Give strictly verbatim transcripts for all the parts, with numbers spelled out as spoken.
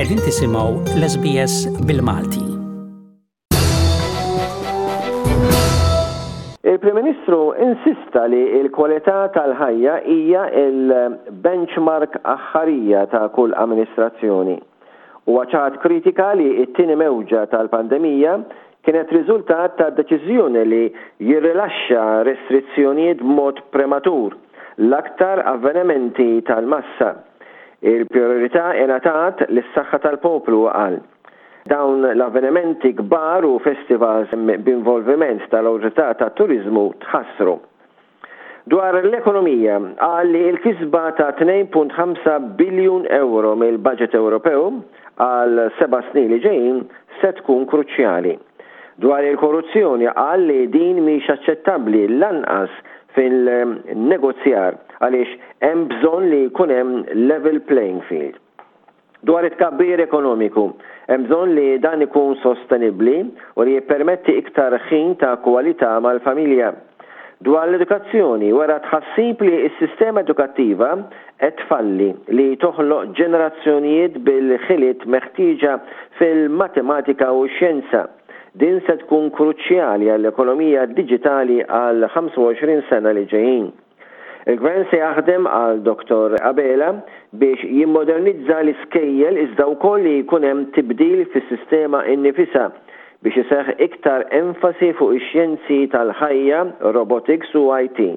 Qegħdin tisimgħu l-S B S bil-Malti. Il-Prim Ministru insista li l-kwalità tal-ħajja hija il-benchmark aħħarija ta' kull amministrazzjoni. U ċaħad kritika li t-tieni mewġa tal-pandemija kienet riżultat ta' deċiżjoni li jirrilaxxa restrizzjonijiet b'mod prematur, l-aktar avvenimenti tal-massa. Il-priorità ingħatat lis-saħħa tal-poplu, qal. Dawn l-avvenimenti kbar u festivals b'involviment tal-Awtorità tat-Turiżmu tħassru. Dwar l-ekonomija, qal li l-kisba ta' tnejn punt ħamsa biljun euro mill-budget Ewropew għal seba' snin li ġejjin se tkun kruċjali. Dwar il-korruzzjoni, qal li din mhix aċċettabbli lanqas fil-negozjar għaliex hemm bżonn li jkun hemm level playing field. Dwar it-tkabbir ekonomiku, hemm bżonn li dan ikun sostenibbli u li jippermetti iktar ħin ta' kwalità mal-familja. Dwar l-edukazzjoni, wera tħassib li s-sistema edukattiva qed tfalli li toħloq ġenerazzjonijiet bil-ħiliet meħtieġa fil-matematika u x-xjenza. Din se tkun kruċjali għall-ekonomija diġitali għal ħamsa u għoxrin sena li ġejjin. Il-gvern se jaħdem, qal Dottor Abela, biex jimmodernizza l-iskejjel iżda wkoll li jkun hemm tibdil fis-sistema innifisha biex iseħħ iktar enfasi fuq ix-xjenzi tal-ħajja, robotics u I T.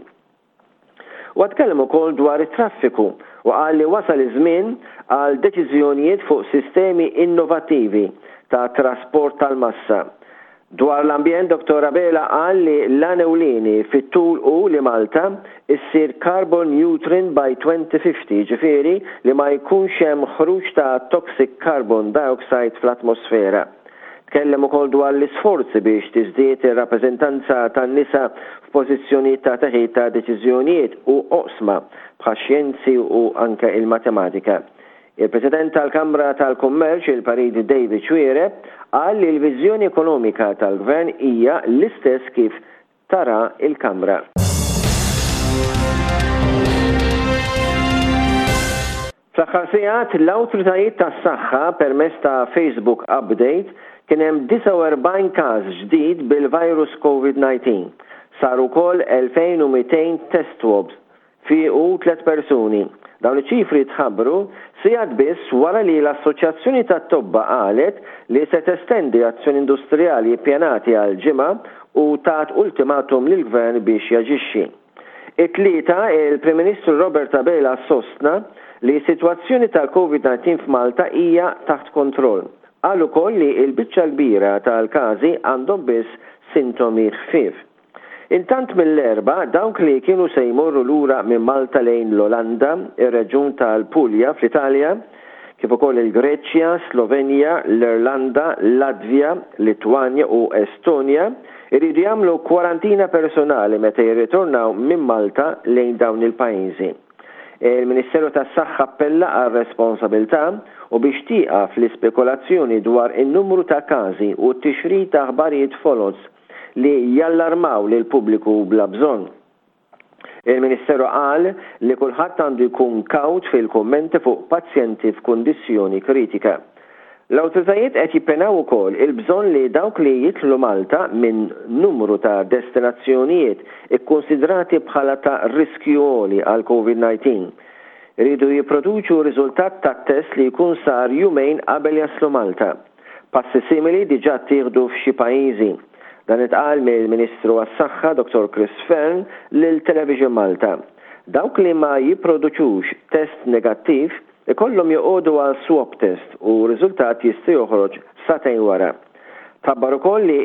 U tkellem ukoll dwar it-traffiku u qal li wasal iż-żmien għal deċiżjonijiet fuq sistemi innovattivi ta' trasport tal-massa. Dwar l-ambjent, Dottor Abela qal li l-għan ewlieni fit-tul hu li Malta issir carbon neutral by twenty fifty, ġifieri li ma jkunx hemm ħruġ ta' toxic carbon dioxide fl-atmosfera. Tkellem ukoll dwar l-isforzi biex tiżdied ir-rappreżentanza tan-nisa f'pożizzjonijiet ta' teħid ta' deċiżjonijiet u oqsma bħax-xjenzi u anke il-matematika. Il-President tal-Kamra tal-Kummerċ, il-Perit David Xuereb, qal li l-viżjoni ekonomika tal-Gvern hija l-istess kif tara il-Kamra. Fl-aħħar sigħat, l-awtoritajiet tas-saħħa permezz ta' Facebook Update kien hemm disgħa u erbgħin każ ġdid bil-virus COVID disa. Saru wkoll elfejn u mitejn test swabs, fiequ tliet persuni. Dawn iċ-ċifri tħabbru sigħat biss wara li l-Assoċjazzjoni tat-Tobba qalet li se testendi azzjoni industrijali ppjanati għal ġimgħa u tat ultimatum lill-gvern biex jaġixxi. It-Tlieta, il-Prim Ministru Robert Abela sostna li s-sitwazzjoni tal-COVID disa f'Malta hija taħt kontroll. Qal ukoll li l-biċċa kbira tal-każi għandhom biss sintomi ħfief. Intant, mill-Erbgħa, dawk li kienu se jmorru lura minn Malta lejn l-Olanda, ir-reġjun tal-Puglia fl-Italja, kif ukoll il-Greċja, Slovenja, l-Irlanda, Latvja, Litwanja u Estonja, iridu jagħmlu kwarantina personali meta jirritornaw minn Malta lejn dawn il-pajjiżi. Il-Ministeru tas-Saħħa appella għal responsabilità u biex tieqaf l-ispekulazzjoni dwar in-numru ta' każi u t-tixrid ta' aħbarijiet foloz li jallarmaw lil pubbliku bla bżonn. Il-Ministeru qal li kulħadd għandu jkun kawt fil-kummenti fuq pazjenti f'kundizzjoni kritika. L-awtoritajiet qed jippenaw ukoll il-bżonn li dawk li jidħlu Malta minn numru ta' destinazzjonijiet ikkonsidrati bħala ta' riskju għoli għal COVID disa iridu jipproduċu riżultat ta' test li jkun sar jumejn qabel jaslu Malta. Passi simili diġà ttieħdu f'xi pajjiżi. Dan intqal mill-Ministru għas-Saħħa Dottor Chris Fearne lil Television Malta. Dawk li ma jipproduċux test negattiv ikollhom joqogħdu għal swab test u riżultat jista' joħroġ sagħtejn wara. Tħabbar ukoll li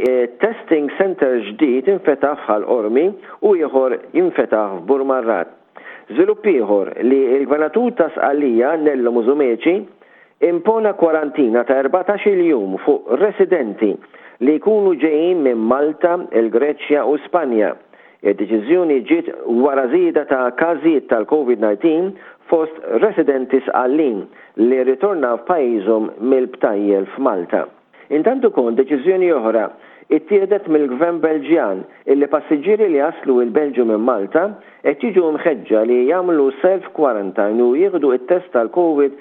testing center ġdid infetaħ f'Ħal Qormi u ieħor jinfetaħ f'Burmarrad. Żvilupp ieħor li l-Gvernatur ta' Sqallija, Nello Musumeci, impona kwarantina ta' erbatax-il jum fuq residenti li jkunu ġejjin minn Malta, il-Greċja u Spanja. Id-deċiżjoni ġiet wara żieda ta' każijiet tal-COVID disa fost residenti Sqallin li ritornaw f'pajjiżhom mill-btajjel f'Malta. Intant ukoll deċiżjoni oħra ittieħdet mill-Gvern Belġjan illi passiġġieri li jaslu il-Belġju minn Malta qed jiġu mħeġġa li jagħmlu self quarantine u jieħdu it-test tal-COVID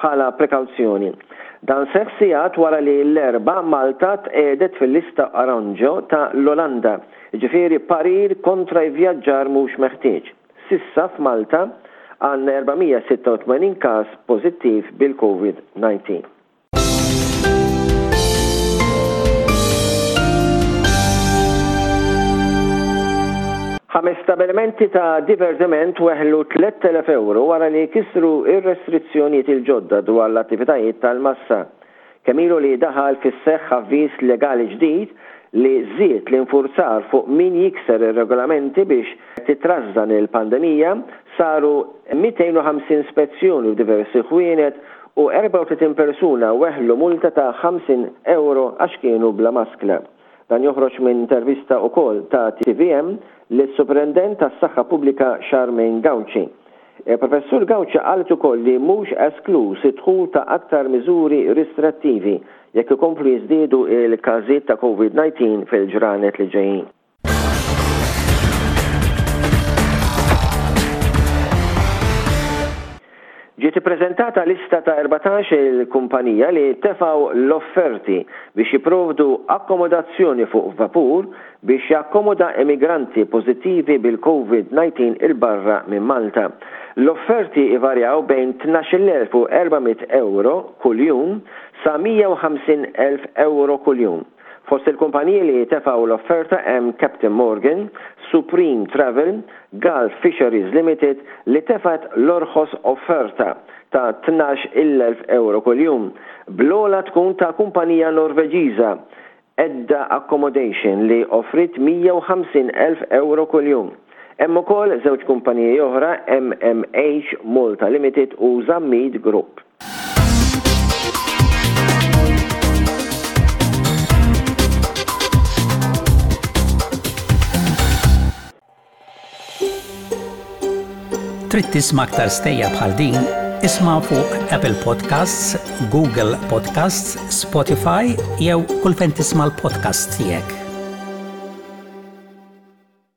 bħala prekawzjoni. Dan seħħ sigħat wara li l-Erbgħa Malta tqiegħdet fil-lista oranġjo ta' l-Olanda, jiġifieri parir kontra vjaġġar mhux meħtieġ. S'issa f'Malta għandna erba' mija sitta u tmenin każ pożittiv bil-COVID disa. Ħames stabilimenti ta' divertiment weħlu tlett elef euro wara li kisru ir-restrizzjonijiet il-ġodda dwar l-attivitajiet tal-massa. Kemm ilu li daħal fis-seħħ avviż legali ġdid li żied l-infurzar fuq min jikser ir-regolamenti biex titrażżan il-pandemija, saru mitejn u ħamsin spezzjoni f'diversi ħwienet u erbgħa u tletin persuna weħlu multa ta' ħamsin euro għax kienu bla maskla. Dan joħroġ minn intervista ukoll ta' T V M lis-Superintendent tas-Saħħa Pubblika Charmaine Gauci. Il-Professur Gauci qalet ukoll li mhux esklus id-dħul ta' aktar miżuri restrittivi jekk ikomplu jiżdiedu il-każijiet ta' COVID disa fil-ġranet li ġejjin. Ġiet ippreżentata lista ta' erbatax il-kumpanija li tefaw l-offerti biex jipprovdu akkomodazzjoni fuq vapur biex jakkomoda immigranti pożittivi bil-COVID disa 'il barra minn Malta. L-offerti ivarjaw bejn tnax-il elf u erba' mitt euro kuljum sa mija u ħamsin elf euro kuljum. Fost il-kumpaniji li tefaw l-offerta hemm Captain Morgan, Supreme Travel, Gulf Fisheries Limited li tefat l-orħos offerta ta' tnax-il elf euro kuljum. Bl-ogħla tkun ta' kumpanija Norveġiża Edda Accommodation li offrit mija u ħamsin elf euro kuljum. Hemm ukoll żewġ kumpaniji oħra, M M H Malta Limited u Zammit Group. Trid tisma' aktar stejjer bħal din? Isma' fuq Apple Podcasts, Google Podcasts, Spotify jew kull fejn tisma' l-podcast tiegħek.